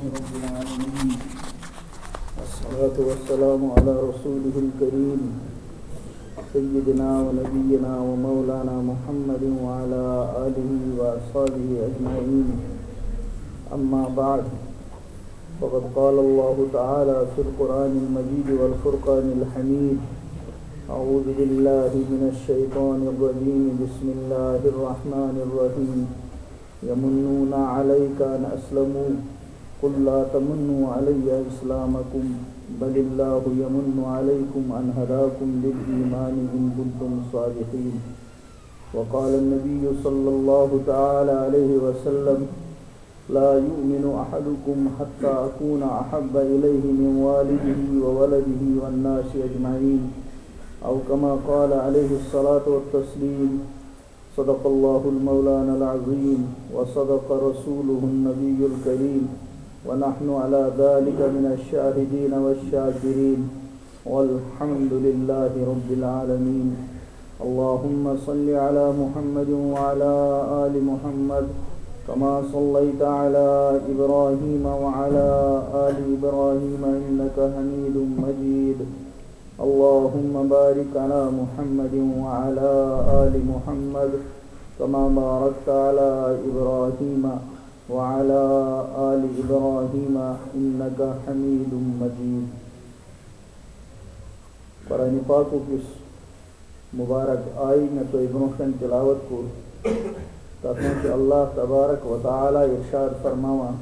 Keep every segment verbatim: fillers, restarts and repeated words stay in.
رب العالمين، والصلاة والسلام على رسوله الكريم سيدنا ونبينا ومولانا محمد وعلى آله وأصحابه أجمعين. أما بعد، فقد قال الله تعالى في القرآن المجيد والفرقان الحميد: أعوذ بالله من الشيطان الرجيم، بسم الله الرحمن الرحيم. يمنون عليك أن أسلموا، قل لا تمنوا علي إسلامكم، بل الله يمن عليكم أن هداكم للإيمان إن كنتم صادقين. وقال النبي صلى الله تعالى عليه وسلم: لا يؤمن أحدكم حتى أكون أحب إليه من والده وولده والناس أجمعين، أو كما قال عليه الصلاة والتسليم. صدق الله المولانا العظيم، وصدق رسوله النبي الكريم، ونحن على ذلك من الشاهدين والشاكرين، والحمد لله رب العالمين. اللهم صل على محمد وعلى آل محمد، كما صليت على إبراهيم وعلى آل إبراهيم إنك حميد مجيد. اللهم بارك على محمد وعلى آل محمد، كما باركت على إبراهيم وعلى آل إبراهيم إنك حميد مجيد. قرآن پاکُک یُس مبارک آیہِ مےٚ تۄہہِ برونٛہہ کنہِ تلاوت کوٚر، تتھ منٛز چھُ اللہ تبارک و تعالیٰ ارشاد فرماوان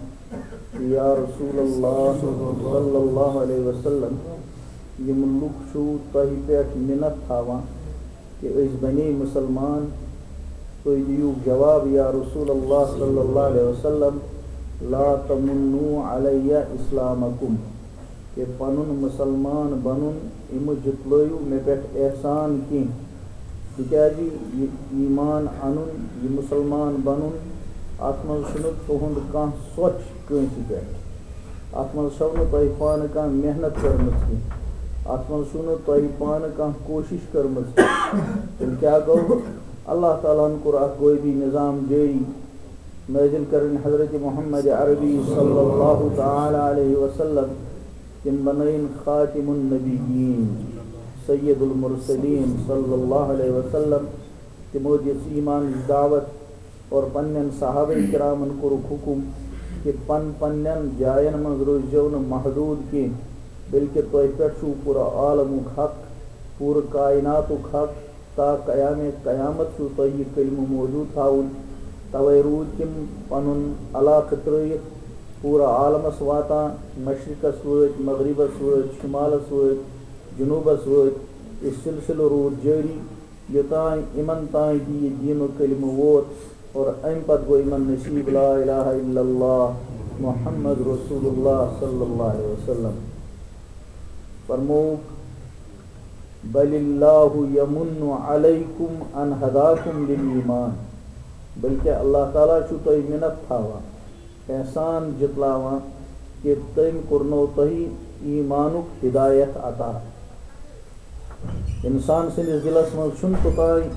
کہ یا رسول اللہ صلی اللہ علیہ وسلم، یِم لُکھ چھِو تۄہہِ پٮ۪ٹھ مِنت تھاوان کہ أسۍ بنے مسلمان، تُہۍ دِیِو جواب یا رسول اللہ صلی اللہ علیہ وسلم، لا تمنوا علی اسلامکم، کہ پنُن مسلمان بنُن، اَمہِ جُتلٲیِو مےٚ پٮ۪ٹھ احسان کینٛہہ، تِکیٛازِ یہِ ایمان اَنُن، یہِ مسلمان بنُن، اَتھ منٛز چھُنہٕ تُہُنٛد کانٛہہ سۄچ کٲنٛسہِ پٮ۪ٹھ۔ اَتھ منٛز چھَو نہٕ تۄہہِ پانہٕ کانٛہہ محنت کٔرمٕژ کینٛہہ۔ اَتھ منٛز چھُو نہٕ تۄہہِ پانہٕ کانٛہہ کوٗشِش کٔرمٕژ کینٛہہ۔ تیٚلہِ کیٛاہ گوٚو؟ اللہ تعالیٰ ہَن کوٚر اَکھ غٲبی نظام جٲری۔ نازل کرن حضرت محمد عربی صلی اللہ تعالیٰ علیہ وسلم، تِم بنٲیِن خاتم النبیین، سید المرسلین صلی اللہ علیہ وسلم۔ تِمو دِژ ایمانٕچ دعوت اور پننٮ۪ن صحابہ کرامن کوٚرُکھ حکم کہ پن پننٮ۪ن جاین منٛز روٗززیو نہٕ محدوٗد کینٛہہ، بلکہ تۄہہِ پٮ۪ٹھ چھُو پوٗرٕ عالمُک حق، پوٗرٕ کائناتُک حق، تا قیام قیامت چھُو تۄہہِ یہِ کلمہٕ موجود تھاوُن۔ توے روٗدۍ تِم پنُن علاقہٕ ترٲیِتھ پوٗرٕ عالمس واتان، مشرقس وٲتۍ، مغربس وٲتۍ، شمالس وٲتۍ، جنوبس وٲتۍ۔ یہِ سلسلہٕ روٗد جٲری، یوٚتام یِمن تام تہِ یہِ دیٖنُک کلمہٕ ووت اور امہِ پتہٕ گوٚو یِمن نصیب لا الہ الا اللہ محمد رسول اللہ صلی اللہ علیہ وسلم۔ فرمووُکھ، بل اللہ یمن علیکم ان ہداکم للایمان، بلکہ اللہ تعالیٰ چھُ تۄہہِ مِنت تھاوان، احسان جتلاوان کہ تٔمۍ کوٚرنو تۄہہِ ایمانُک ہدایت عطا۔ انسان سٕنٛدِس دِلس منٛز چھُنہٕ توٚتام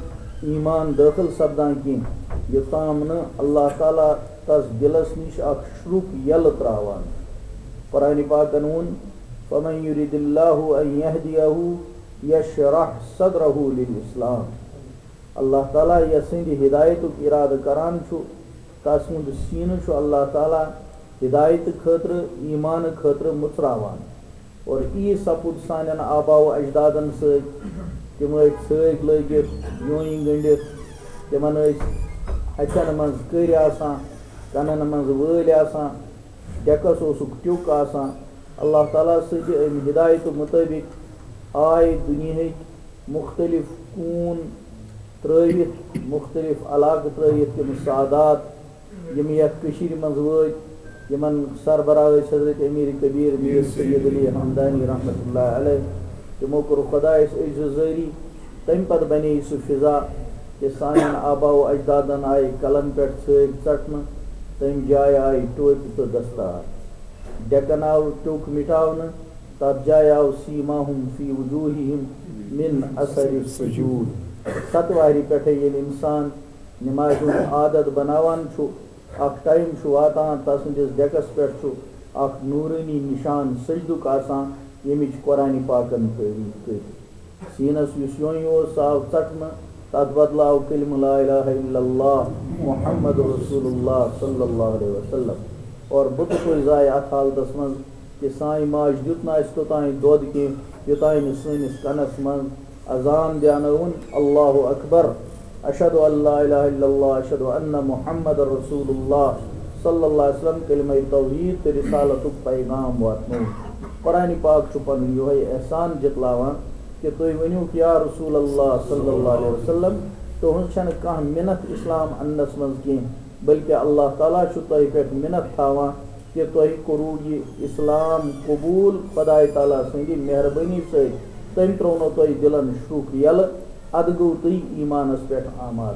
ایمان دٲخل سپدان کینٛہہ، یوٚتام نہٕ اللہ تعالیٰ تس دِلس نِش اکھ شرُک یلہٕ تراوان۔ قرآن پاکن ووٚن، فمن یرد اللہ ان یہدیہ یشرح صدرہ للاسلام۔ اللہ تعالیٰ یسٕنٛدِ ہدایتُک ارادٕ کران چھُ، تسُنٛد سینہٕ چھُ اللہ تعالیٰ ہدایتہٕ خٲطرٕ، ایمانہٕ خٲطرٕ مُژراوان۔ اور یی سپُد سانٮ۪ن آبا و اجدادن سۭتۍ۔ تِم ٲسۍ ژھٲگۍ لٲگِتھ، یوٗنۍ گٔنٛڈِتھ، تِمن ٲسۍ اَتھٮ۪ن منٛز کٔرۍ آسان، کنن منٛز وٲلۍ آسان، ڈیکس اوسُکھ ٹیُک آسان۔ اللہ تعالیٰ سٕنٛدِ اَمہِ ہدایتہٕ مُطٲبِق آے دُنیہٕکۍ مُختٔلِف کوٗن ترٲوِتھ، مُختٔلِف علاقہٕ ترٲوِتھ تِم سادات، یِم یَتھ کٔشیٖرِ منٛز وٲتۍ، یِمن سربراہ ٲسۍ حضرت امیر کبیر میر سید علی ہمدانی رحمتہ اللہ علیہ۔ تِمو کوٚر خۄدایس عجزٕ جٲری۔ تَمہِ پتہٕ بنے سُہ فضا کہ سانٮ۪ن آبا و اجدادن آیہِ کلن پٮ۪ٹھ ژھٲگۍ ژٹنہٕ، تَمہِ جایہِ آیہِ ٹوپہِ تہٕ دستار۔ ڈیکن آو ٹیوٚک مٹاونہٕ، تَتھ جایہِ آو سیماہم فی وجوہہم من اثر السجود۔ ستوارِ پٮ۪ٹھے ییٚلہِ انسان نمازِ ہُنٛد عادت بناوان چھُ، اکھ ٹائم چھُ واتان، تسٕنٛدِس ڈیکس پٮ۪ٹھ چھُ اکھ نورانی نشان سجدُک آسان، ییٚمِچ قرآن پاکن تعریف کٔر۔ سیٖنس یُس یونۍ اوس، سُہ آو ژٹنہٕ، تتھ بدلہٕ آو کلمہٕ لا الہ الا اللہ محمد رسول اللہ صلی اللہ علیہ وسلم۔ اور بُتہٕ پھٔلۍ زایہِ اتھ حالتس منٛز کہ سانہِ ماجہِ دیُت نہٕ اسہِ توٚتانۍ دۄد کینٛہہ، یوٚتانۍ نہٕ سٲنِس کنس منٛز اذان دیانٲوُن، اللہ اکبر، اشہد ان لا الہ الا اللہ، اشہد ان محمد رسول اللہ صلی اللہ علیہ وسلم، کلمہ توحید تہٕ رسالتُک پیغام واتنوو۔ قرآن پاک چھُ پنُن یِہوٚے احسان جتلاوان کہ تُہۍ ؤنِو کہ یا رسول اللہ صلی اللہ علیہ وسلم، تُہنٛز چھنہٕ کانٛہہ مِنت اسلام اننس منٛز کینٛہہ، بلکہ اللہ تعالیٰ چھُ تۄہہِ پٮ۪ٹھ مِنت تھاوان کہ تۄہہِ کوٚروُ یہِ اسلام قبول خدایہِ تعالیٰ سٕنٛدِ مہربٲنی سۭتۍ۔ تٔمۍ ترٛوونو تۄہہِ دِلن شُکھ یَلہٕ، اَدٕ گوٚو تُہۍ ایٖمانس پٮ۪ٹھ آماد۔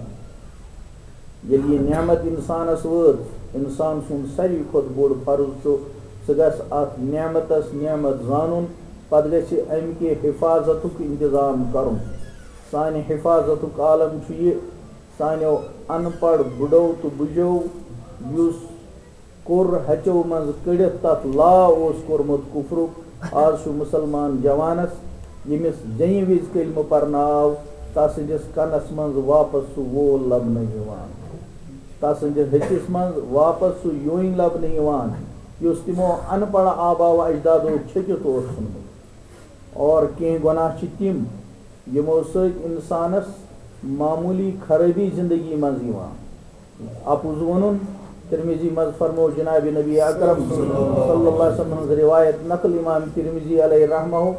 ییٚلہِ یہِ نعمت اِنسانس وٲژ، اِنسان سُنٛد ساروی کھۄتہٕ بوٚڑ فرض چھُ، سُہ گژھِ اَتھ نعمتس نعمت زانُن، پتہٕ گژھِ اَمہِ کہِ حفاظتُک انتظام کرُن۔ سانہِ حفاظتُک عالم چھُ یہِ، سانیو ان پڑھ بُڈو تہٕ بُجو، یُس کوٚر ہَچو منٛز کٔڑِتھ تَتھ لا اوس کوٚرمُت کُفرُک، آز چھُ مُسلمان جوانَس، ییٚمِس جیٚمہِ وِزِ کلمہٕ پرنہٕ آو، تَسٕنٛدِس کَنَس منٛز واپس سُہ وول لبنہٕ یِوان، تَسٕنٛدِس ۂٹِس منٛز واپس سُہ یوٚنۍ لبنہٕ یِوان، یُس تِمو اَن پَڑھ آباو اجدادو چھٔکِتھ اوس ژھُنمُت۔ اور کینٛہہ گۄناہ چھِ تِم، یِمو سۭتۍ اِنسانَس معموٗلی خرٲبی زِندگی منٛز یِوان۔ اَپُز ووٚنُن، ترمذی منٛز فرموو جناب نبی اکرم صلی اللہ علیہ وسلم ہٕنٛز روایت نقل امام ترمذی علیہ رحمہ،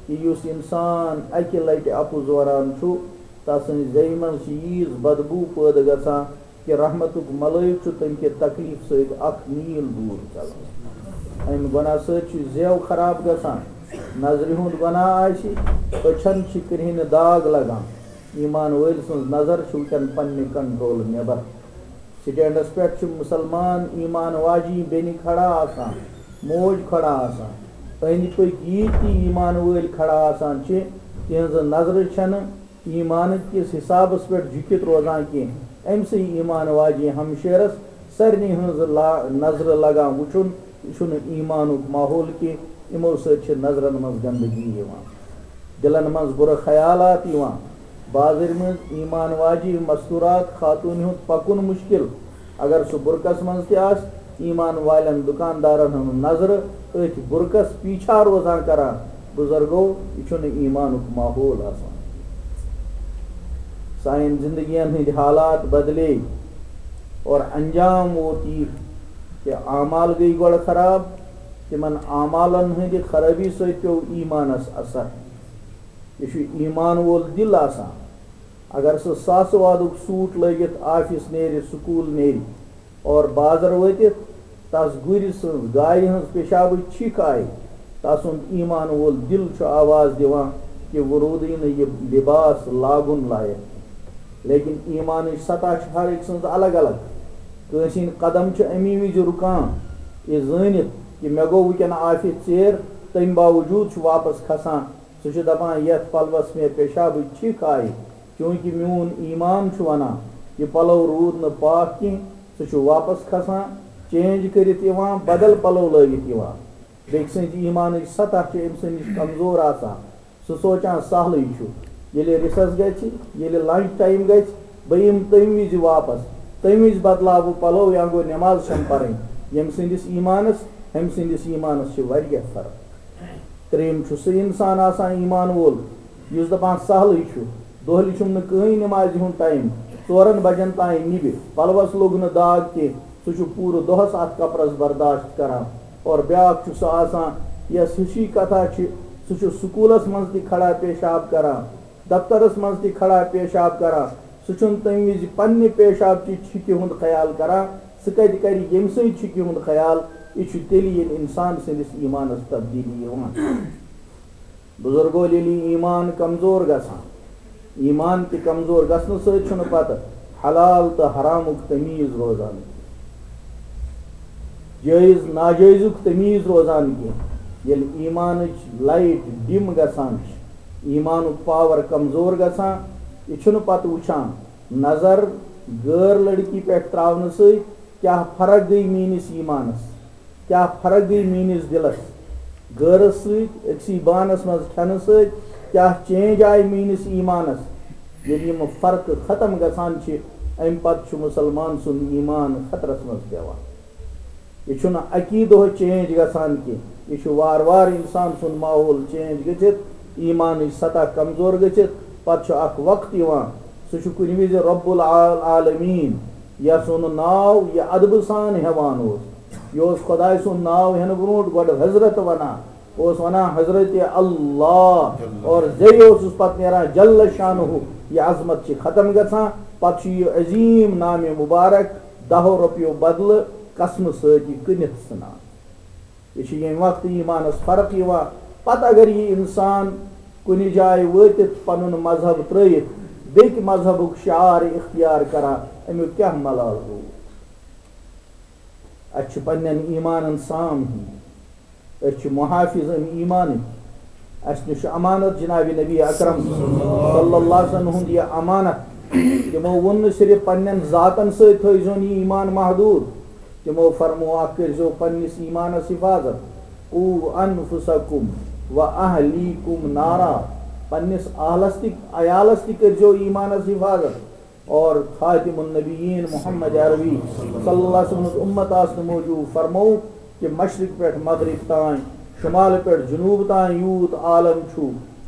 کہ یُس اِنسان اَکہِ لٹہِ اَپُز وَنان چھُ، تَسٕنٛزِ زیٚیہِ منٛز چھِ ییٖژ بدبوٗ پٲدٕ گژھان کہ رحمتُک ملٲیِو چھُ تَمہِ کہِ تکلیف سۭتۍ اکھ میٖل دوٗر ژَلان۔ اَمہِ گۄناہ سۭتۍ چھُ زیو خراب گژھان، نظرِ ہُنٛد گۄناہ آسہِ، أچھن چھِ کرٛہنہِ داغ لگان۔ ایمان وٲلۍ سٕنٛز نظر چھِ وٕچھان پننہِ کنٹرول نٮ۪بر۔ سٹینڈس پٮ۪ٹھ چھِ مُسلمان ایمان واجی بیٚنہِ کھڑا آسان، موج کھڑا آسان۔ أنٛدۍ پٔکۍ ییٖتۍ تہِ ایمان وٲلۍ کھڑا آسان چھِ، تِہنٛزٕ نظرٕ چھَنہٕ ایمانہٕ کِس حسابس پٮ۪ٹھ جُکِتھ روزان کینٛہہ۔ أمۍ سٕے ایمان واجی ہمشیرس سارنٕے ہٕنٛز لا-، نظرٕ لگان وٕچھُن، یہِ چھُنہٕ ایمانُک ماحول کینٛہہ۔ یِمو سۭتۍ چھِ نظرن منٛز گندگی یِوان، دِلن منٛز بُرٕ خیالات یِوان۔ بازرِ منٛز ایمان واجی مستورات خاتوٗنہِ ہُنٛد پکُن مُشکل۔ اگر سُہ بُرکس منٛز تہِ آسہِ، ایمان والٮ۪ن دُکاندارن ہٕنٛز نظرٕ أتھۍ بُرکس پیچھا روزان کران۔ بُزرگو، یہِ چھُنہٕ ایمانُک ماحول آسان۔ سانٮ۪ن زندگین ہٕنٛدۍ حالات بدلے اور انجام ووت یہِ کہ اعمال گٔے گۄڈٕ خراب، تِمن اعمالن ہٕنٛدِ خرٲبی سۭتۍ پیوٚو ایمانس اثر۔ یہِ چھُ ایمان وول دِل آسان۔ اگر سُہ ساسہٕ وادُک سوٗٹ لٲگِتھ آفس نیرِ، سکوٗل نیرِ اور بازر وٲتِتھ تس گُرِ سٕنٛز، گایہِ ہٕنٛز پیشابٕچ چھِکھ آیہِ، تسُنٛد ایمان وول دِل چھُ آواز دِوان کہ وۄنۍ روٗدٕے نہٕ یہِ لباس لاگُن لایق۔ لیکن ایمانٕچ سطح چھِ ہر أکۍ سٕنٛز الگ الگ۔ کٲنٛسہِ ہٕنٛدۍ قدم چھِ اَمی وِزِ رُکان، یہِ زٲنِتھ کہ مےٚ گوٚو وٕنکٮ۪ن آفس ژیر، تَمہِ باوجوٗد چھُ واپس کھسان۔ سُہ چھُ دَپان، یَتھ پَلوَس مےٚ پیشابٕچ چھِکھ آیہِ، چوٗنٛکہِ میون ایمان چھُ وَنان، یہِ پَلو روٗد نہٕ پاک کینٛہہ، سُہ چھُ واپَس کھسان، چینج کٔرِتھ یِوان، بدل پَلو لٲگِتھ یِوان۔ بیٚکہِ سٕنٛزِ ایمانٕچ سطح چھِ أمۍ سٕنٛدِ نِش کمزور آسان۔ سُہ سونٛچان سہلٕے چھُ، ییٚلہِ ریسس گژھِ، ییٚلہِ لنچ ٹایم گژھِ، بہٕ یِمہٕ تَمہِ وِزِ واپس، تَمہِ وِزِ بدلاو بہٕ پَلو یا گوٚو نٮ۪ماز چھَم پَرٕنۍ۔ ییٚمہِ سٕنٛدِس ایمانَس، ہُمہِ سٕنٛدِس ایمانَس چھِ واریاہ فرق۔ ترٛیٚیِم چھُ سُہ اِنسان آسان ایمان وول، یُس دَپان سہلٕے چھُ، دۄہلہِ چھُم نہٕ کٕہٕنۍ نٮ۪مازِ ہُنٛد ٹایم، ژورَن بَجَن تام نِبہِ، پَلوَس لوٚگ نہٕ داغ کینٛہہ، سُہ چھُ پوٗرٕ دۄہَس اَتھ کَپرَس برداشت کَران۔ اور بیٛاکھ چھُ سُہ آسان، یَس ہِشی کَتھا چھِ، سُہ چھُ سکوٗلَس منٛز تہِ کھڑا پیشاب کَران، دفترَس منٛز تہِ کھڑا پیشاب کَران۔ سُہ چھُنہٕ تَمہِ وِزِ پنٛنہِ پیشاب چہِ چھِکہِ ہُنٛد خیال کَران، سُہ کَتہِ کَرِ ییٚمہِ سٕنٛدِ چھِکہِ ہُنٛد خیال؟ یہِ چھُ تیٚلہِ ییٚلہِ اِنسان سٕنٛدِس ایٖمانَس تبدیٖلی یِوان۔ بُزرگو، ییٚلہِ ایٖمان کمزور گژھان، ایٖمان تہِ کمزور گژھنہٕ سۭتۍ چھُنہٕ پتہٕ حلال تہٕ حرامُک تمیٖز روزان، جٲیِز ناجٲیزُک تمیٖز روزان کینٛہہ۔ ییٚلہِ ایٖمانٕچ لایٹ ڈِم گژھان چھِ، ایٖمانُک پاور کمزور گژھان، یہِ چھُنہٕ پتہٕ وٕچھان نظر غٲر لڑکی پٮ۪ٹھ تراونہٕ سۭتۍ کیٛاہ فرق گٔے میٛٲنِس ایٖمانَس۔ کیٛاہ فرق گٔے میٛٲنِس دِلَس غٲرَس سۭتۍ، أکسٕے بانَس منٛز کھٮ۪نہٕ سۭتۍ؟ کیٛاہ چینج آیہِ میٛٲنِس ایٖمانَس؟ ییٚلہِ یِم فرقہٕ ختم گژھان چھِ، اَمہِ پَتہٕ چھُ مُسلمان سُنٛد ایٖمان خطرَس منٛز پٮ۪وان۔ یہِ چھُنہٕ اَکی دۄہ چینج گژھان کینٛہہ، یہِ چھُ وارٕ وارٕ اِنسان سُنٛد ماحول چینج گٔژھِتھ، ایٖمانٕچ سطح کمزور گٔژھِتھ۔ پَتہٕ چھُ اَکھ وقت یِوان، سُہ چھُ کُنہِ وِزِ رب العالمین، یَس سُنٛد ناو یہِ ادبہٕ سان ہٮ۪وان اوس۔ یہِ اوس خۄداے سُنٛد ناو ہٮ۪نہٕ برونٛٹھ گۄڈٕ حضرت وَنان، اوس وَنان حضرت اللہ، اور زے اوسُس پَتہٕ نیران جل شانہ۔ یہِ عظمت چھِ ختم گژھان، پَتہٕ چھُ یہِ عظیٖم نامِ مُبارک دَہو رۄپیو بدلہٕ قسمہٕ سۭتۍ یہِ کٕنِتھ ژھٕنان۔ یہِ چھِ ییٚمہِ وقتہٕ ایٖمانَس فرق یِوان۔ پَتہٕ اگر یہِ اِنسان کُنہِ جایہِ وٲتِتھ پَنُن مذہب ترٛٲیِتھ بیٚکہِ مذہبُک شعار اختیار کران، اَمیُک کیٛاہ ملال روٗد؟ اَسہِ چھُ پنٛنٮ۪ن ایٖمانَن سام ہیٚنۍ۔ أسۍ چھِ محافظ اَمہِ ایٖمانٕکۍ۔ اَسہِ نِش چھُ امانت جناب نبی اکرم صلی اللہ علیہ وسلم ہُنٛد یہِ امانت۔ تِمو ووٚن نہٕ صرف پننٮ۪ن ذاتن سۭتۍ تھٲیزیون یہِ ایٖمان محدوٗد، تِمو فرموو اکھ کٔرزیو پننِس ایٖمانس حفاظت۔ قو انفسکم و اہلیکم نارا، پننِس اہلس تہِ عیالس تہِ کٔرزیو ایٖمانس حفاظت۔ اور خاتم النبیین محمد عربی صلی اللہ علیہ وسلم ہٕنٛز اُمت آسنہٕ موٗجوٗب فرموو کہِ مشرق پٮ۪ٹھ مغرب تام، شمال پٮ۪ٹھ جنوب تام یوٗت عالم چھُ،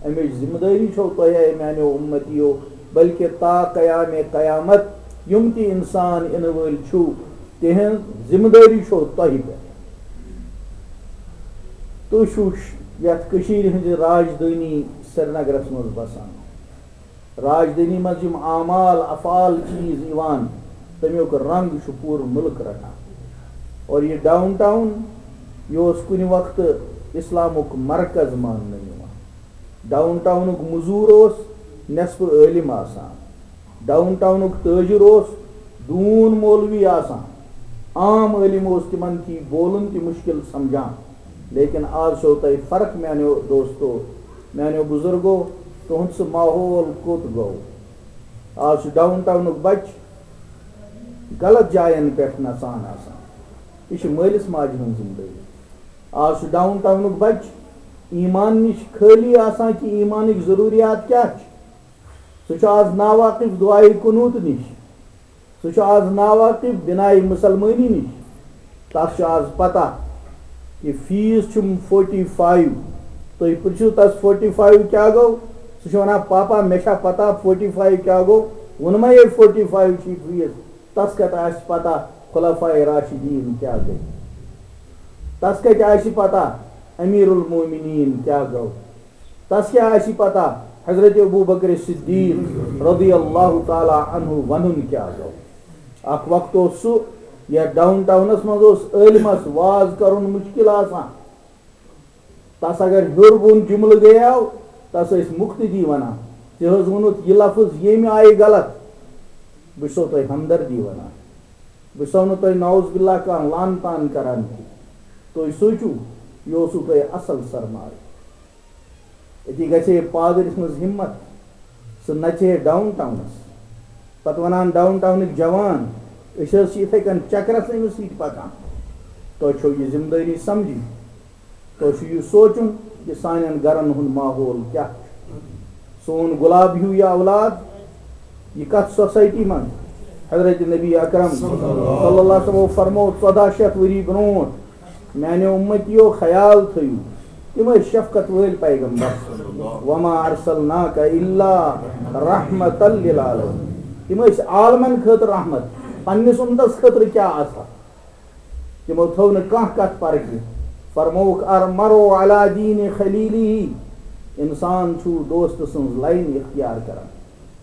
اَمِچ ذمہٕ دٲری چھو تۄہہِ، اے میانیو اُمتیو، بلکہ تا قیام قیامت یِم تہِ انسان یِنہٕ وٲلۍ چھِو، تِہنٛز ذمہٕ دٲری چھو تۄہہِ پٮ۪ٹھ۔ تُہۍ چھِو ش-، یتھ کٔشیٖرِ ہٕنٛزِ راجدھٲنی سرینگرس منٛز بسان۔ راجدھٲنی منٛز یِم اعمال، افعال، چیٖز یِوان، تَمیُک رنٛگ چھُ پوٗرٕ مُلک رَٹان۔ اور یہِ ڈاوُن ٹاوُن، یہِ اوس کُنہِ وقتہٕ اِسلامُک مرکز ماننہٕ یِوان۔ ڈاوُن ٹاونُک مٔزوٗر اوس نٮ۪صفہٕ عٲلِم آسان، ڈاوُن ٹاونُک تٲجِر اوس ڈوٗن مولوی آسان۔ عام عٲلِم اوس تِمن تھی بولُن تہِ مُشکِل سمجھان۔ لیکن آز چھو تۄہہِ فرق، میانیو دوستو، میانیو بُزرگو، تُہُنٛد سُہ ماحول کوٚت گوٚو؟ آز چھُ ڈاوُن ٹاونُک بچہٕ غلط جاین پٮ۪ٹھ نژان آسان۔ یہِ چھِ مٲلِس ماجہِ ہٕنٛز ذمہٕ دٲری۔ آز چھُ ڈاوُن ٹاونُک بچہٕ ایمان نِش خٲلی آسان کہِ ایمانٕکۍ ضروٗریات کیٛاہ چھِ۔ سُہ چھُ آز ناواقف دعایہِ قنوٗت نِش۔ سُہ چھُ آز ناواقف بنائے مسلمٲنی نِش۔ تَس چھُ آز پتہ کہِ فیٖس چھُم فورٹی فایِو۔ تُہۍ پرٛژھِو تَس، فورٹی فایِو کیٛاہ گوٚو؟ سُہ چھُ وَنان، "پاپا، مےٚ چھا پتہ فورٹی فایِو کیٛاہ گوٚو؟ ووٚنمَے یے فورٹی فایِو چھُے فیٖس۔" تَس کَتہِ آسہِ پتہ خلفائے راشدین کیٛاہ گٔے؟ تَس کَتہِ آسہِ پتہ امیر المومنین کیٛاہ گوٚو؟ تَس کیٛاہ آسہِ پتہ حضرت ابو بکر صدیق رضی اللہ تعالیٰ عنہ وَنُن کیٛاہ گوٚو؟ اکھ وقت اوس سُہ، یتھ ڈاؤن ٹاؤنس منٛز اوس عٲلمس واز کرُن مُشکِل آسان۔ تَس اگر ہیوٚر بۄن جملہٕ گٔیاو، تَس ٲسۍ مُقتدی وَنان، "ژےٚ حظ ووٚنُتھ یہِ لفظ ییٚمہِ آیہِ غلط۔" بہٕ چھُسو تۄہہِ ہمدردی وَنان، بہٕ چھُسو نہٕ تۄہہِ نعوذ باللہ کانٛہہ لعن طعن کران کینٛہہ۔ تُہۍ سوٗنٛچِو، یہِ اوسوٕ تۄہہِ اصل سرمایہ۔ أتی گژھِ ہے پادرِ سٕنٛز ہمت، سُہ نژِ ہے ڈاؤن ٹاؤنس۔ پتہٕ وَنان ڈاؤن ٹاؤنٕکۍ جوان، "أسۍ حظ چھِ یِتھَے کٔنۍ چکرس أمِس سۭتۍ پکان۔" تۄہہِ چھو یہِ ذمہٕ دٲری سمجھٕنۍ۔ تۄہہِ چھُ یہِ سونٛچُن کہِ سانٮ۪ن گرن ہُنٛد ماحول کیٛاہ چھُ۔ سون گۄلاب ہیوٗ یہِ اولاد، یہِ کتھ سوسایٹی منٛز؟ حضرت نبی اکرم صلی اللہ علیہ وسلم فرموو ژۄداہ شیٚتھ ؤری برونٛٹھ، میانیو اُمتیو، خیال تھٲیِو، تِم ٲسۍ شفقت وٲلۍ پیغمبر۔ "وما ارسلناک الا رحمتا للعالمین"، تِم ٲسۍ عالمن خٲطرٕ رحمت، پننِس اُمتس خٲطرٕ کیٛاہ آسہٕ ہا؟ تِمو تھٲو نہٕ کانٛہہ کتھ پرزِ۔ فرمووُکھ، "المرء علی دین خلیلہ"، انسان چھُ دوست سٕنٛز لاین اختیار کران۔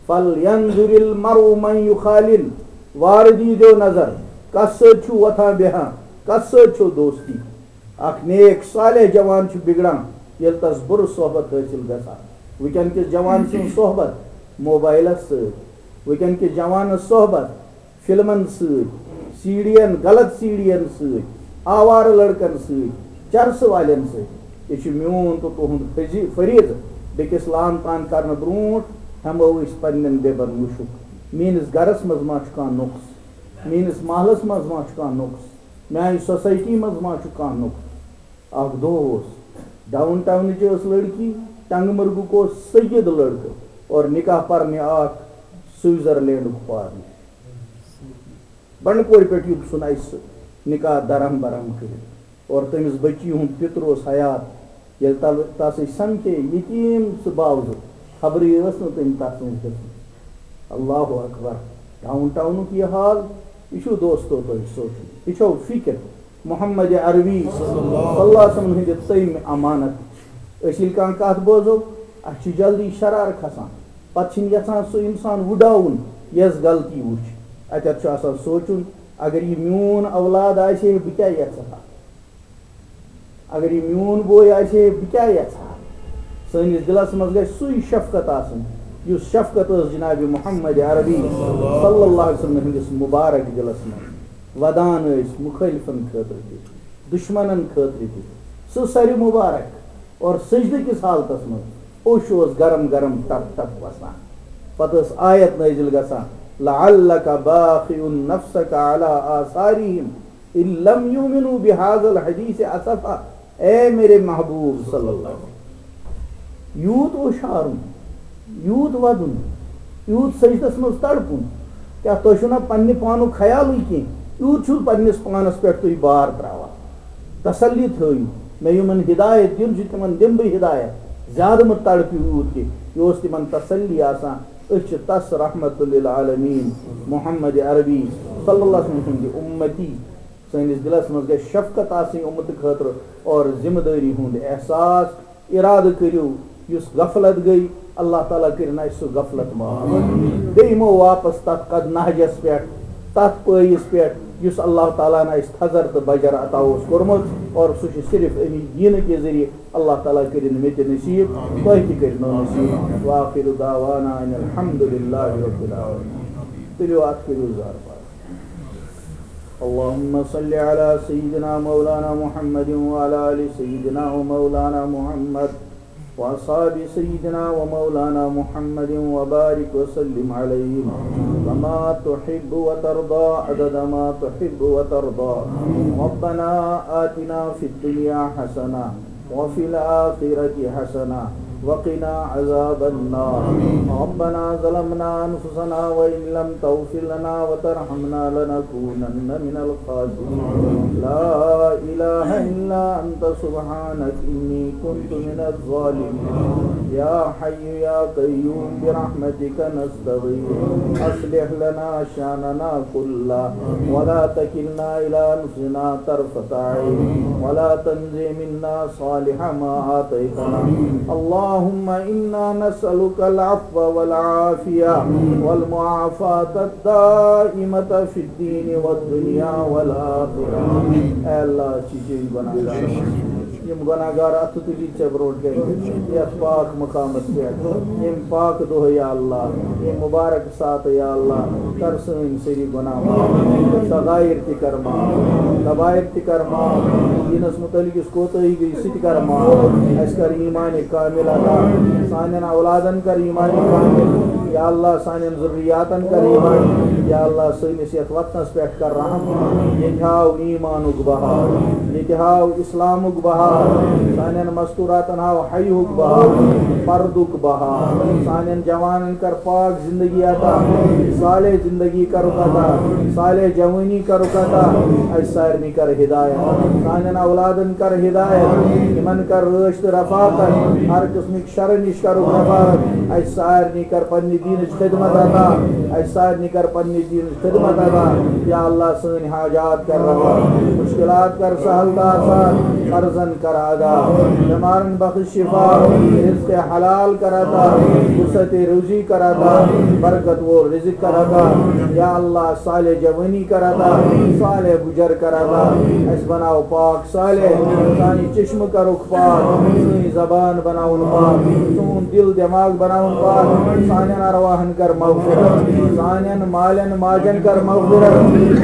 "فلینظر المرء من یخالل"، وارٕ دیٖزیو نظر، کس سۭتۍ چھُو وۄتھان بیٚہان، کس سۭتۍ چھو دوستی۔ اکھ نیک صالح جوان چھُ بگڑان، ییٚلہِ تس بُرٕ صحبت حٲصِل گژھان۔ وٕنکیٚن کِس جوان سٕنٛز صحبت موبایلس سۭتۍ، وٕنکیٚن کِس جوانس صحبت فلمن سۭتۍ، سیڑین، غلط سیڑین سۭتۍ، آوارٕ لڑکن سۭتۍ، چرسہٕ والٮ۪ن سۭتۍ۔ یہِ چھُ میون تہٕ تُہُنٛد فزی-، فریضہٕ۔ بیٚکِس لعن طعن کرنہٕ برونٛٹھ ہٮ۪مو أسۍ پننٮ۪ن بیبن وٕچھُکھ، میٲنِس گرس منٛز ما چھُ کانٛہہ نۄقص، میٲنِس محلس منٛز ما چھُ کانٛہہ نۄقص، میانہِ سوسائٹی منٛز ما چھُ کانٛہہ نُقطہٕ؟ اکھ دۄہ اوس، ڈاؤن ٹاؤنٕچ ٲس لڑکی، ٹنگ مرگُک اوس سید لڑکہٕ، اور نکاح پرنہِ آکھ سوئٹزرلینڈُک فارن۔ بنڈپورِ پٮ۪ٹھ یُک سُن اَسہِ سُہ نکاح درہم برہم کٔرِتھ، اور تٔمِس بچی ہُنٛد پِتُر اوس حیات۔ ییٚلہِ تَل-، تَس أسۍ سمکھے یتیٖم سُہ باوزُک، خبرٕے ٲس نہٕ تٔمۍ تَس سۭتۍ گٔژھمٕژ۔ اللہ اکبر۔ ڈاؤن ٹاؤنُک یہِ حال، یہِ چھُو دوستو تۄہہِ سونٛچُن۔ یہِ چھو فکر محمد عربی صلی اللہ علیہ وسلم ہٕنٛدِ تٔمۍ امانت۔ أسۍ ییٚلہِ کانٛہہ کتھ بوزو، اَسہِ چھِ جلدی شرار کھسان۔ پتہٕ چھِنہٕ یژھان سُہ انسان وُڈاوُن، یۄس غلطی وُچھ۔ اتٮ۪تھ چھُ آسان سونٛچُن، اگر یہِ میون اولاد آسہِ ہے، بہٕ کیٛاہ یژھٕ ہا؟ اگر یہِ میون بوے آسہِ ہے، بہٕ کیٛاہ یژھٕ ہا؟ سٲنِس دِلس منٛز گژھِ سُے شفقت آسٕنۍ، یُس شفقت ٲس جناب محمد عربی صلی اللہ علیہ وسلم ہٕنٛدِس مبارک دِلس منٛز۔ ودان ٲسۍ مخٲلفن خٲطرٕ تہِ، دشمنن خٲطرٕ تہِ۔ سُہ سرِ مبارک اور سجدٕ کِس حالتس منٛز اوٚش اوس گرم گرم ٹپ ٹپ وسان۔ پتہٕ ٲس آیت نٲزِل گژھان، "لعلک باخع نفسک علی آثارہم ان لم یؤمنوا بہذا الحدیث اسفا۔" اے میرے محبوب صلی اللہ علیہ وسلم، یوٗت اوٚش ہارُن، یوٗت وَدُن، یوٗت سجدس منٛز تڑپُن، کیٛاہ تۄہہِ چھُو نہ پننہِ پانُک خیالٕے کینٛہہ؟ یوٗت چھُو پننِس پانس پٮ۪ٹھ تُہۍ بار تراوان؟ تسلی تھٲیِو، مےٚ یِمن ہدایت دیُن چھُ، تِمن دِمہٕ بہٕ ہدایت۔ زیادٕ مہٕ تڑپِو یوٗت کینٛہہ۔ یہِ اوس تِمن تسلی آسان، أسۍ چھِ تس رحمت للعالمین محمد عربی صلی اللہ علیہ وسلم سٕنٛدِ اُمتی۔ سٲنِس دِلس منٛز گژھِ شفقت آسٕنۍ اُمتہٕ خٲطرٕ اور ذمہٕ دٲری ہُنٛد احساس۔ ارادٕ کٔرِو، یُس غفلت گٔے، اللہ تعالیٰ کٔرِنۍ اَسہِ سُہ غفلت معاف۔ بیٚیہِ یِمو واپس تتھ قد نہجس پٮ۪ٹھ، تتھ پٲیِس پٮ۪ٹھ، یُس اللہ تعالیٰ ہن اَسہِ تھزر تہٕ بجر عطا اوس کوٚرمُت، اور سُہ چھُ صرف اَمی دیٖنہٕ کہِ ذٔریعہٕ۔ اللہ تعالیٰ کٔرِنۍ مےٚ تہِ نصیٖب، تۄہہِ تہِ کٔرِنو نصیٖب۔ وآخر دعوانا ان الحمد للہ رب العالمین۔ تُلِو اَتھ، کٔرِو زارٕ پار۔ اللهم صل على سيدنا مولانا محمد وعلى آل سيدنا ومولانا محمد وأصحاب سيدنا ومولانا محمد وبارك وسلم عليهم كما تحب وترضى عدد ما تحب وترضى. ربنا آتنا في الدنيا حسنة وفي الآخرة حسنة وقنا عذاب النار. ربنا ظلمنا أنفسنا وإن لم تغفر لنا وترحمنا لنكونن من الخاسرين. لا إله إلا أنت سبحانك إني كنت من الظالمين. يا حي يا قيوم برحمتك نستغيث. أصلح لنا شأننا كله ولا تكلنا إلى أنفسنا طرفة عين ولا تنزع منا صالح ما أعطيتنا. اللهم إنا نسألك العفو والعافية والمعافاة الدائمة في الدين والدنيا والآخرة. اے اللہ، أسۍ چھِ چٲنۍ گۄناہگار۔ یِم گۄناہگار اَتھٕ تُلِتھ ژےٚ برونٛٹھ کَنہِ، یَتھ پاک مقامَس پٮ۪ٹھ، ییٚمہِ پاکہٕ دۄہ یا اللہ، ییٚمہِ مُبارک ساتہٕ یا اللہ، کر سٲنۍ سٲری گۄناہ معاف، صغائر تہِ کر معاف، کبائر تہِ کر معاف، دیٖنَس مُتعلق یُس کوتٲہی گٔے سُہ تہِ کر معاف، اَسہِ کر ایٖمان کامل عطا، سانٮ۪ن اولادَن کر ایٖمان کامل، یا اللہ سانٮ۪ن ذُریاتَن کر ایٖمان، یا اللہ سٲنِس یَتھ وطنَس پٮ۪ٹھ کر رحم، ییٚتہِ ہاو ایٖمانُک بہار، ییٚتہِ ہاو اِسلامُک بہار، سانٮ۪ن مستوٗراتَن ہاو حیہُک بہار، پردُک بہار، سانٮ۪ن جوانَن کر پاک زندگی عطا، صالح زندگی کرُکھ عطا، صالح جوانی کرُکھ عطا، اَسہِ سارنٕے کر ہدایت، سانٮ۪ن اولادَن کر ہدایت، یِمَن کر رٲچھ تہٕ رفاقت، ہر قٕسمٕکۍ شرن نِش کرُکھ حفاظت۔ اَسہِ سارنٕے کر پننہِ دیٖنٕچ خدمت عطا۔ اَسہِ سارنٕے کر پننہِ دیٖنٕچ خدمت عطا۔ یا اللہ، سٲنۍ حاجات کر روا، مشکلات کر سہل تہٕ آسان، قرضن کر ادا، بٮ۪مارن بخش شفا، رزق حلال کر عطا، وسعت روزی کر عطا، برکت وول رزق کر عطا۔ یا اللہ، صالح جوانی کر عطا، صالح گجر کر عطا۔ اَسہِ بناو پاک صالح، سانہِ چشمہٕ کرُکھ پاک، سٲنۍ زبان بناوُن پاک، سون دل دماغ بناوُن پاک، سانٮ۪ن ارواحن کر مغفرت، سانٮ۪ن مالٮ۪ن ماجن کر مغفرت،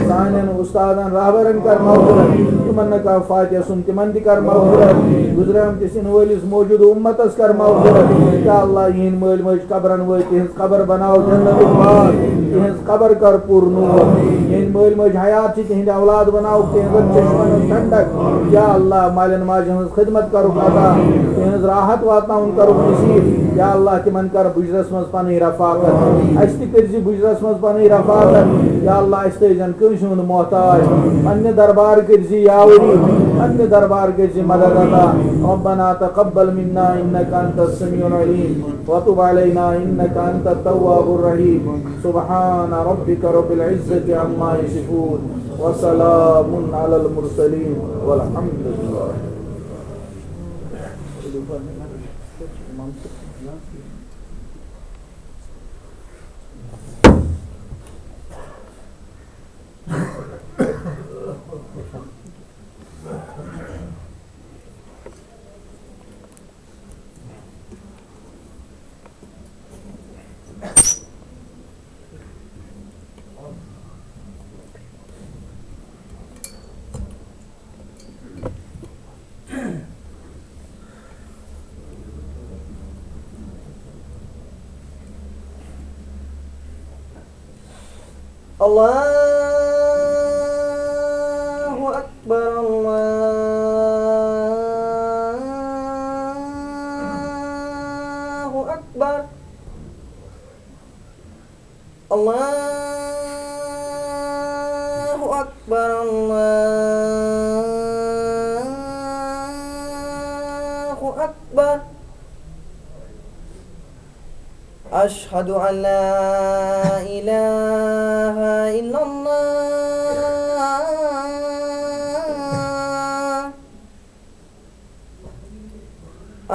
سانٮ۪ن استادن رہبرن کر مغفرت، یِمن نہٕ کانٛہہ فاتحہ سُن تِمن تہِ کر مغفرت، گُزریمتِس یِنہٕ وٲلِس موجودٕ اُمتس کر مغفرت۔ یا اللہ، یِہنٛدۍ مٲلۍ مٲج قبرن وٲتۍ، تِہنٛز قبر بناو جنتُک باغ، تِہنٛز قبر کر پُر نور، یِہنٛدۍ مٲلۍ مٲج حیات چھِ، تِہِنٛدِ اولاد بناوُکھ تِہِنٛزن چشمن ہٕنٛز ٹھنڈک۔ یا اللہ، مالٮ۪ن ماجٮ۪ن ہٕنٛز خدمت کرُکھ عطا، تِہٕنٛز راحت واتناوُن کرُکھ نصیب۔ یا اللہ، تِمن کر بُجرس منٛز پنٕنۍ رفاقت، اَسہِ تہِ کٔرۍ زِ بُجرس منٛز پنٕنۍ رفاقت۔ یا اللہ، اَسہِ تھٲوزٮ۪ن کٲنٛسہِ ہُنٛد محتاج، پننہِ دربار کٔرۍ زِ یاوری، پننہِ دربار کٔرۍ زِ مدد عطا۔ ربنا تقبل منا إنك أنت السميع العليم وتب علينا إنك أنت التواب الرحيم۔ سبحان ربك رب العزة عما يصفون وسلام على المرسلين والحمد لله۔ الله أكبر، الله أكبر، الله أكبر، الله أكبر. أشهد أن لا إله إلا الله.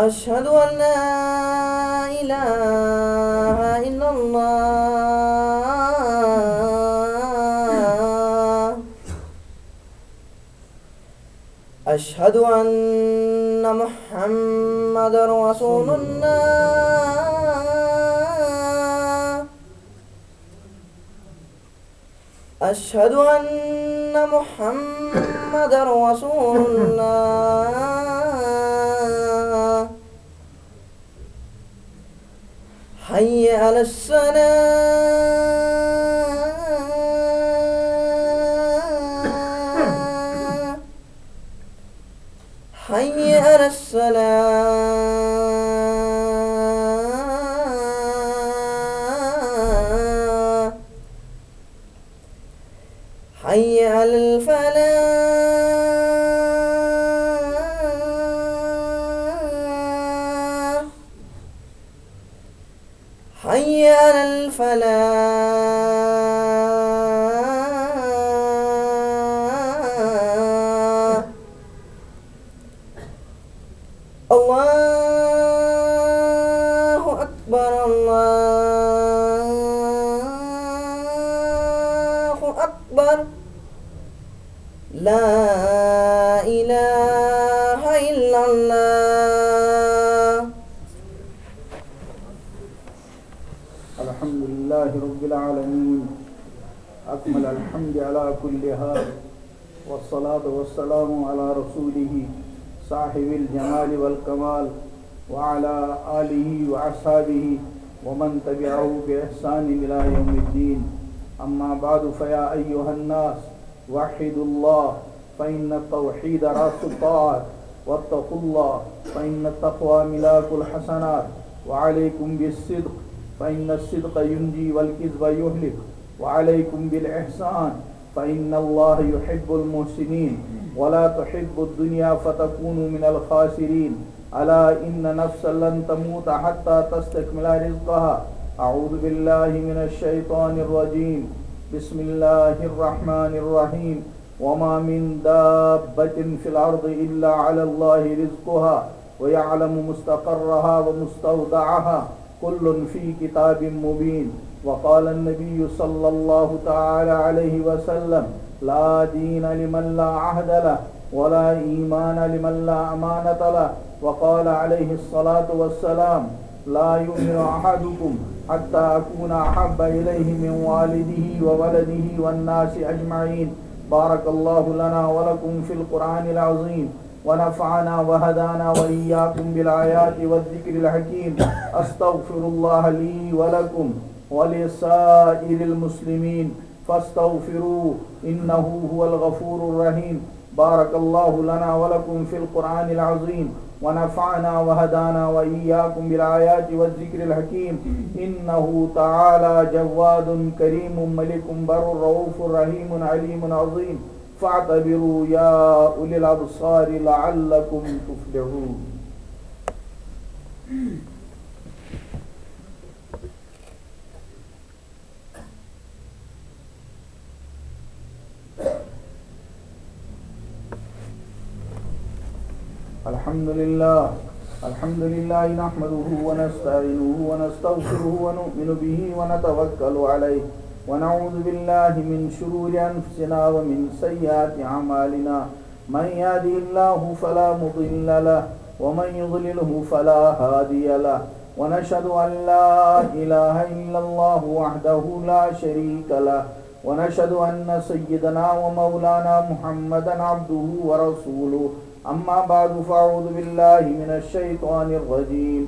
أشهد أن لا إله إلا الله. أشهد أن محمد رسول الله. أشهد أن محمد رسول الله. حي على الصلاة. حي على الصلاة. حي على الفلاح. حي على الفلاح. الله أكبر، الله أكبر. لا إله إلا الله. الحمد لله رب العالمين، أكمل الحمد على كل حال، والصلاة والسلام على رسوله صاحب الجمال والكمال، وعلى آله وأصحابه ومن تبعه بإحسان إلى يوم الدين. أما بعد، فيا أيها الناس، وحدوا الله، فإن التوحيد رأس الطاعات، واتقوا الله، فإن التقوى ملاك الحسنات، وعليكم بالصدق، فإن الصدق ينجي والكذب يهلك، وعليكم بالإحسان، فإن الله يحب المحسنين، ولا تحبوا الدنيا فتكونوا من الخاسرين. ألا إن نفسا لن تموت حتى تستكمل رزقها. أعوذ بالله من الشيطان الرجيم. بسم الله الرحمن الرحيم. وما من دابة في الأرض إلا على الله رزقها ويعلم مستقرها ومستودعها، كل في كتاب مبين. وقال النبي صلى الله تعالى عليه وسلم: لا دين لمن لا عهد له، ولا إيمان لمن لا أمانة له. وقال عليه الصلاة والسلام: لا يؤمن أحدكم حتى أكون أحب إليه من والده وولده والناس أجمعين. بارك الله لنا ولكم في القرآن العظيم، ونفعنا وهدانا وإياكم بالآيات والذكر الحكيم. أستغفر الله لي ولكم ولسائر المسلمين. فاستغفروه إنه هو الغفور الرحيم. بارك الله لنا ولكم في القرآن العظيم، ونفعنا وهدانا وإياكم بالآيات والذكر الحكيم. إنه تعالى جواد كريم ملك بر رؤوف رحيم عليم عظيم. فاعتبروا يا أولي الأبصار لعلكم تفلحون. الحمد لله. الحمد لله نحمده ونستعينه ونستغفره ونؤمن به ونتوكل عليه، ونعوذ بالله من شرور أنفسنا ومن سيئات أعمالنا. من يهده الله فلا مضل له، ومن يضلله فلا هادي له، ونشهد أن لا إله إلا الله وحده لا شريك له، ونشهد أن سيدنا ومولانا محمدا عبده ورسوله. أما بعد، فأعوذ بالله من الشيطان الرجيم.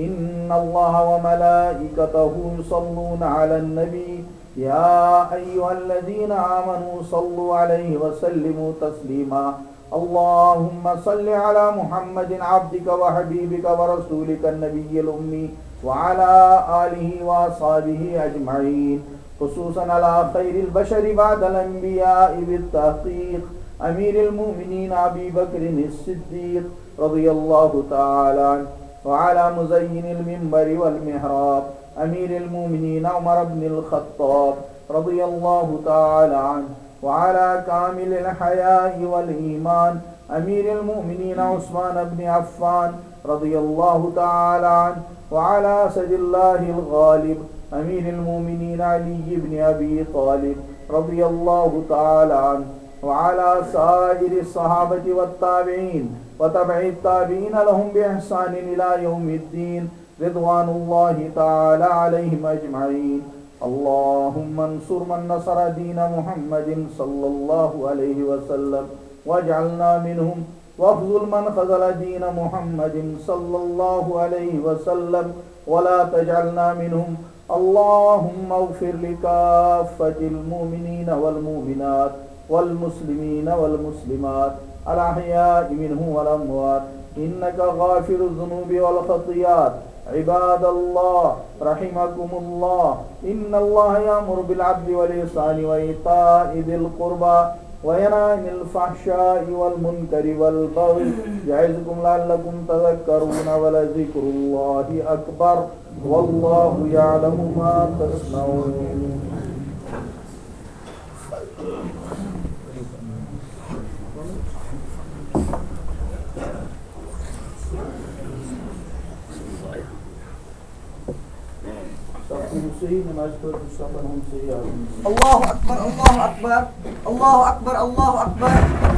إن الله وملائكته يصلون على النبي، يا أيها الذين آمنوا صلوا عليه وسلموا تسليما. اللهم صل على محمد عبدك وحبيبك ورسولك النبي الأمي وعلى آله وأصحابه أجمعين، خصوصا على خير البشر بعد الأنبياء بالتحقيق، أمير المؤمنين أبي بكر الصديق رضي الله تعالى عنه، وعلى مزين المنبر والمحراب أمير المؤمنين عمر بن الخطاب رضي الله تعالى عنه، وعلى كامل الحياء والإيمان أمير المؤمنين عثمان بن عفان رضي الله تعالى عنه، وعلى أسد الله الغالب أمير المؤمنين علي بن أبي طالب رضي الله تعالى عنه، وعلى سائر الصحابة والتابعين وتبع التابعين لهم بإحسان إلى يوم الدين، رضوان الله تعالى عليهم أجمعين. اللهم انصر من نصر دين محمد صلى الله عليه وسلم، واجعلنا منهم، واخذل من خذل دين محمد صلى الله عليه وسلم، ولا تجعلنا منهم. اللهم اغفر لكافة المؤمنين والمؤمنات والمسلمين والمسلمات الأحياء منهم والأموات، إنك غافر الذنوب والخطيئات. عباد الله، رحمكم الله، إن الله يأمر بالعدل والإحسان وإيتاء ذي القربى وينهى عن الفحشاء والمنكر والبغي يعظكم لعلكم تذكرون، ولذكر الله أكبر، والله يعلم ما تصنعون. صفن صحیح، نماز پٔرِو صفن ہُنٛد صحیح آسُن۔ الله أكبر، الله أكبر، الله أكبر، الله أكبر.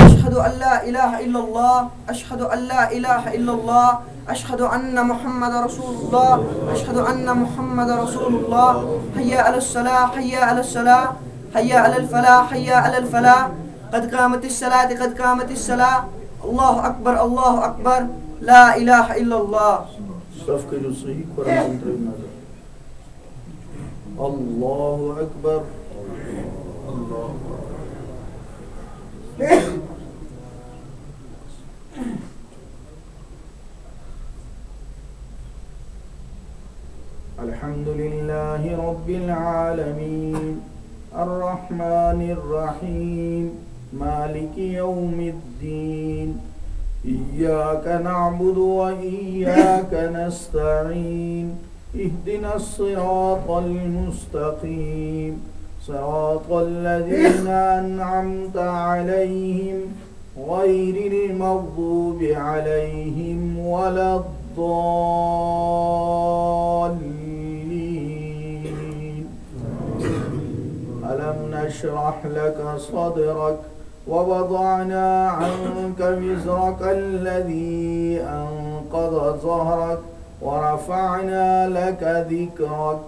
أشهد أن لا إله إلا الله، أشهد أن لا إله إلا الله، أشهد أن محمد رسول الله، أشهد أن محمد رسول الله. حي على الصلاة، حي على الصلاة، حي على الفلاح، حي على الفلاح. قد قامت الصلاة، قد قامت الصلاة. الله أكبر، الله أكبر، لا إله إلا الله. صف کٔرِو صحیح، قرآن ترٲیِو نظر۔ الله أكبر۔ الله أكبر۔ الحمد لله رب العالمين، الرحمن الرحيم، مالك يوم الدين، إياك نعبد وإياك نستعين، اهدنا الصراط المستقيم، صراط الذين أنعمت عليهم، غير المغضوب عليهم ولا الضالين. ألم نشرح لك صدرك ووضعنا عنك وزرك الذي أنقض ظهرك ورفعنا لك ذكرك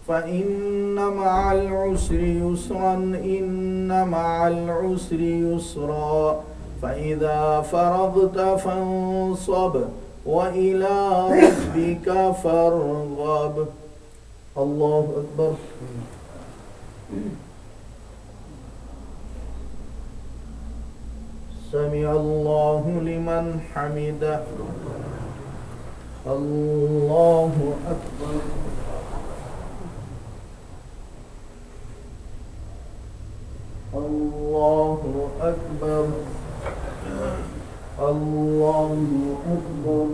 فإن مع العسر يسرا، إن مع العسر يسرا، فإذا فرغت فانصب، وإلى ربك فارغب. الله أكبر. سمع الله لمن حمده. الله أكبر. الله أكبر. الله أكبر.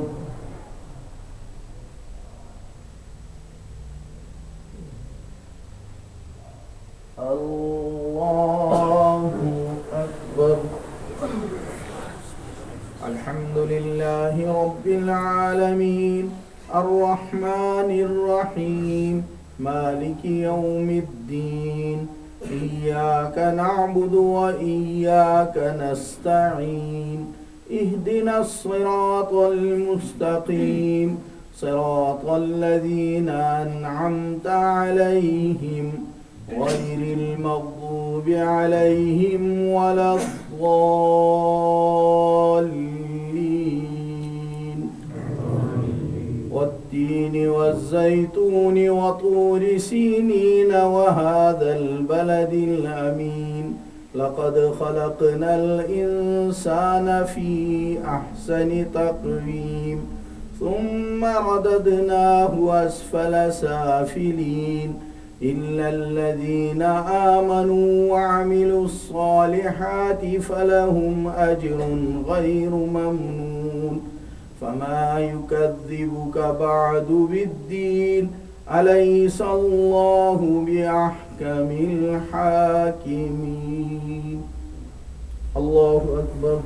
الله أكبر. الحمد لله رب العالمين. الرحمن الرحيم. مالك يوم الدين. إياك نعبد وإياك نستعين. اهدنا الصراط المستقيم. صراط الذين أنعمت عليهم غير المغضوب عليهم ولا الضالين. والتين والزيتون وطور سينين وهذا البلد الأمين. لقد خلقنا الإنسان في أحسن تقويم. ثم رددناه أسفل سافلين. إلا الذين آمنوا وعملوا الصالحات فلهم أجر غير ممنون. فما يكذبك بعد بالدين. أليس الله بأحكم الحاكمين. الله أكبر.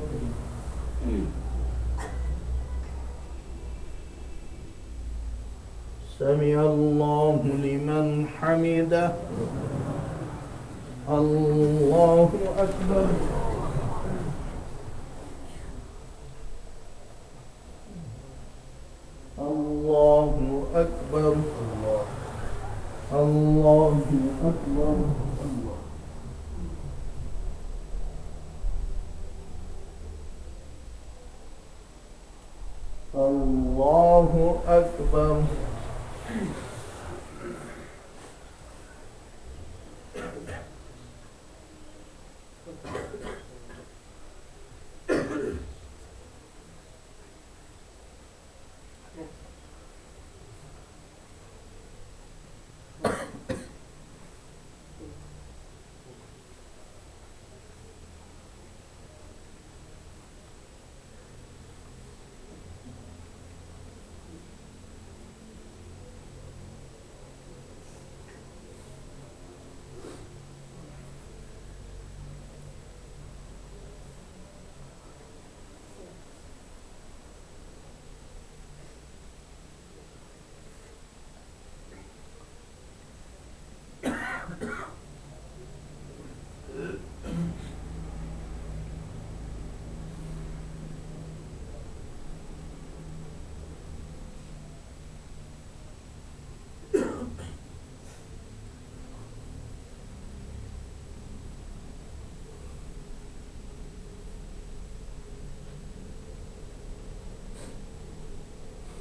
سمع الله لمن حمده. الله أكبر. الله أكبر. الله أكبر. الله أكبر.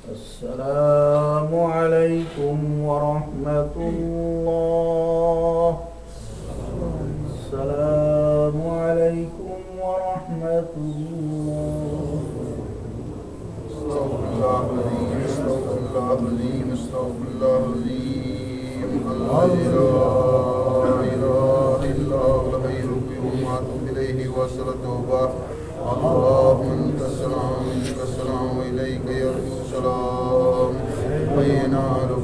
السلام عليكم ورحمة الله. السلام عليكم ورحمة الله. أستغفر الله العظيم، أستغفر الله العظيم، أستغفر الله العظيم. الذي لا إله إلا هو الحي القيوم وأتوب إليه وأسأل التوبة. اللهم أنت السلام ومنك السلام وإليك يرجع السلام. حينا على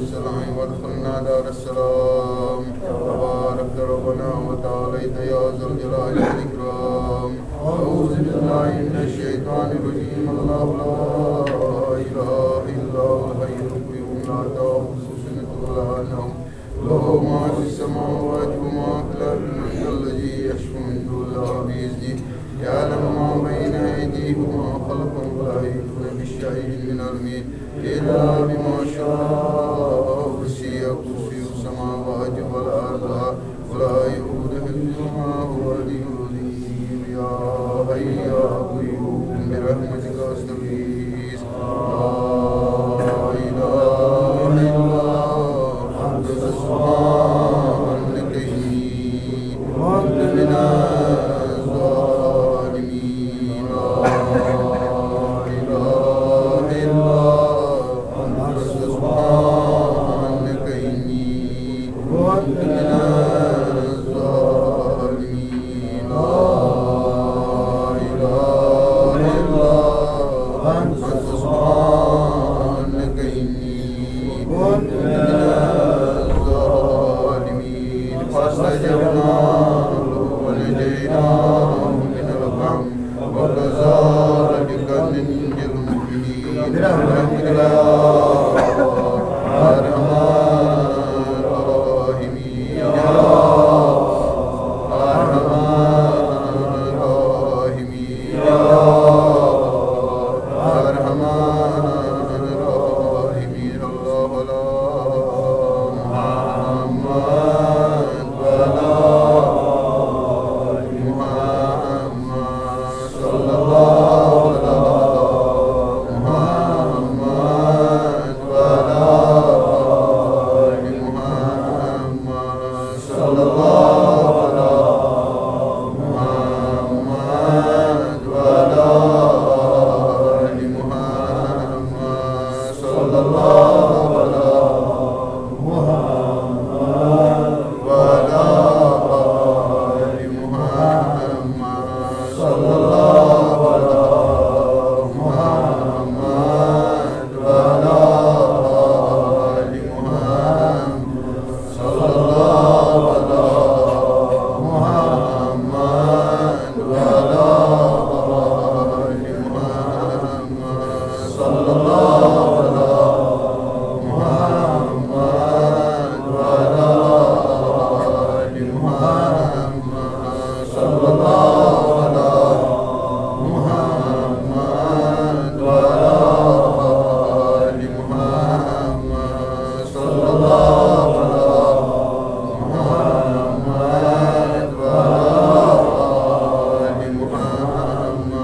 السلام وأدخلنا دار السلام. تباركت ربنا وتعاليت يا ذا الجلال والإكرام. أعوذ بالله من الشيطان الرجيم. الله لا إله إلا هو الحي القيوم لا تأخذه سنة ولا نوم له ما في السماوات وما في الأرض من ذا الذي يشفع عنده إلا بإذنه يعلم ما بين أيديهم وما خلفهم ولا يحيطون بشيء من علمه إلا بما شاء وسع كرسيه السماوات والأرض ولا يؤوده حفظهما وهو العلي العظيم. يا حي يا قيوم برحمتك أستغيث. لا إله إلا أنت سبحانك إني كنت من الظالمين. المؤمنين برحمتك يا أرحم الراحمين. يا أرحم الراحمين. يا أرحم الراحمين. الله لا محمد ولا محمد. صلى الله على محمد وعلى آل محمد. صلى الله على محمد وعلى آل محمد. صلى الله على محمد وعلى آل محمد. صلى الله على محمد وعلى آل محمد. صلى الله على محمد وعلى آل محمد. صلى الله على محمد وعلى آل محمد. صلى الله على محمد وعلى آل محمد. صلى الله على محمد وعلى آل محمد.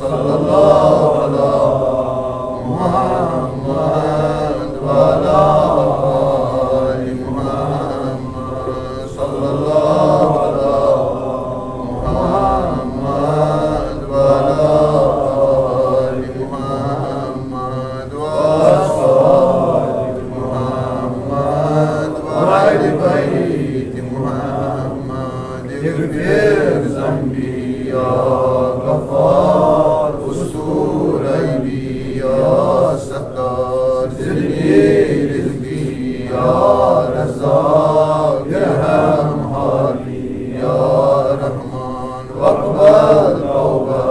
صلى الله على محمد وعلى آل محمد. صلى الله على محمد وعلى آل محمد وأصحاب محمد وأهل بيت محمد. اغفر ذنبي يا غفار، استر عيبي يا ستار، زدني رزقي يا رزاق، ارحم حالي يا رحمن، واقبل توبة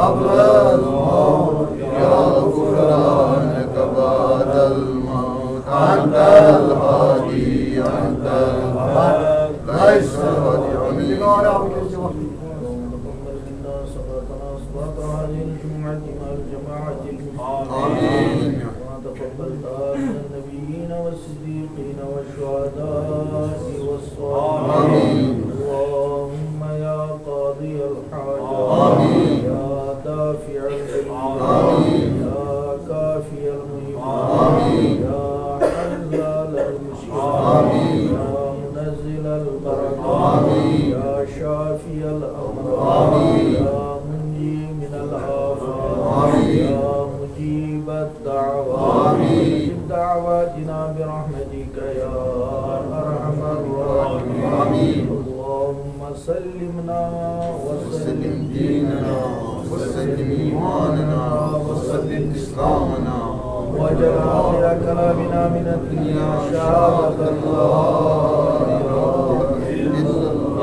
قبل الموت، يا غفرانك بعد الموت. أنت الهادي، أنت الهادي، ليس الهادي. آمين. اللهم تقبل منا صلاتنا صلاة هذه الجمعة مع الجماعة المسلمين. آمين. وتقبلها من النبيين والصديقين والشهداء والصالحين. آمين. اللهم يا قاضي الحاجات. آمين. يا دافع البليات. آمين. يا كافي المهمات. آمين. يا حلال المشكلات. آمين. يا منزل البركات. آمين. يا شافي الأمراض. آمين. يا منجي من الآفات. آمين. يا مجيب الدعوات. آمين. أجب دعواتنا برحمتك يا أرحم الراحمين. آمين. اللهم سلمنا وسلم ديننا وسلم إيماننا وسلم إسلامنا، واجعل آخر كلامنا من الدنيا شهادة أن لا إله إلا الله.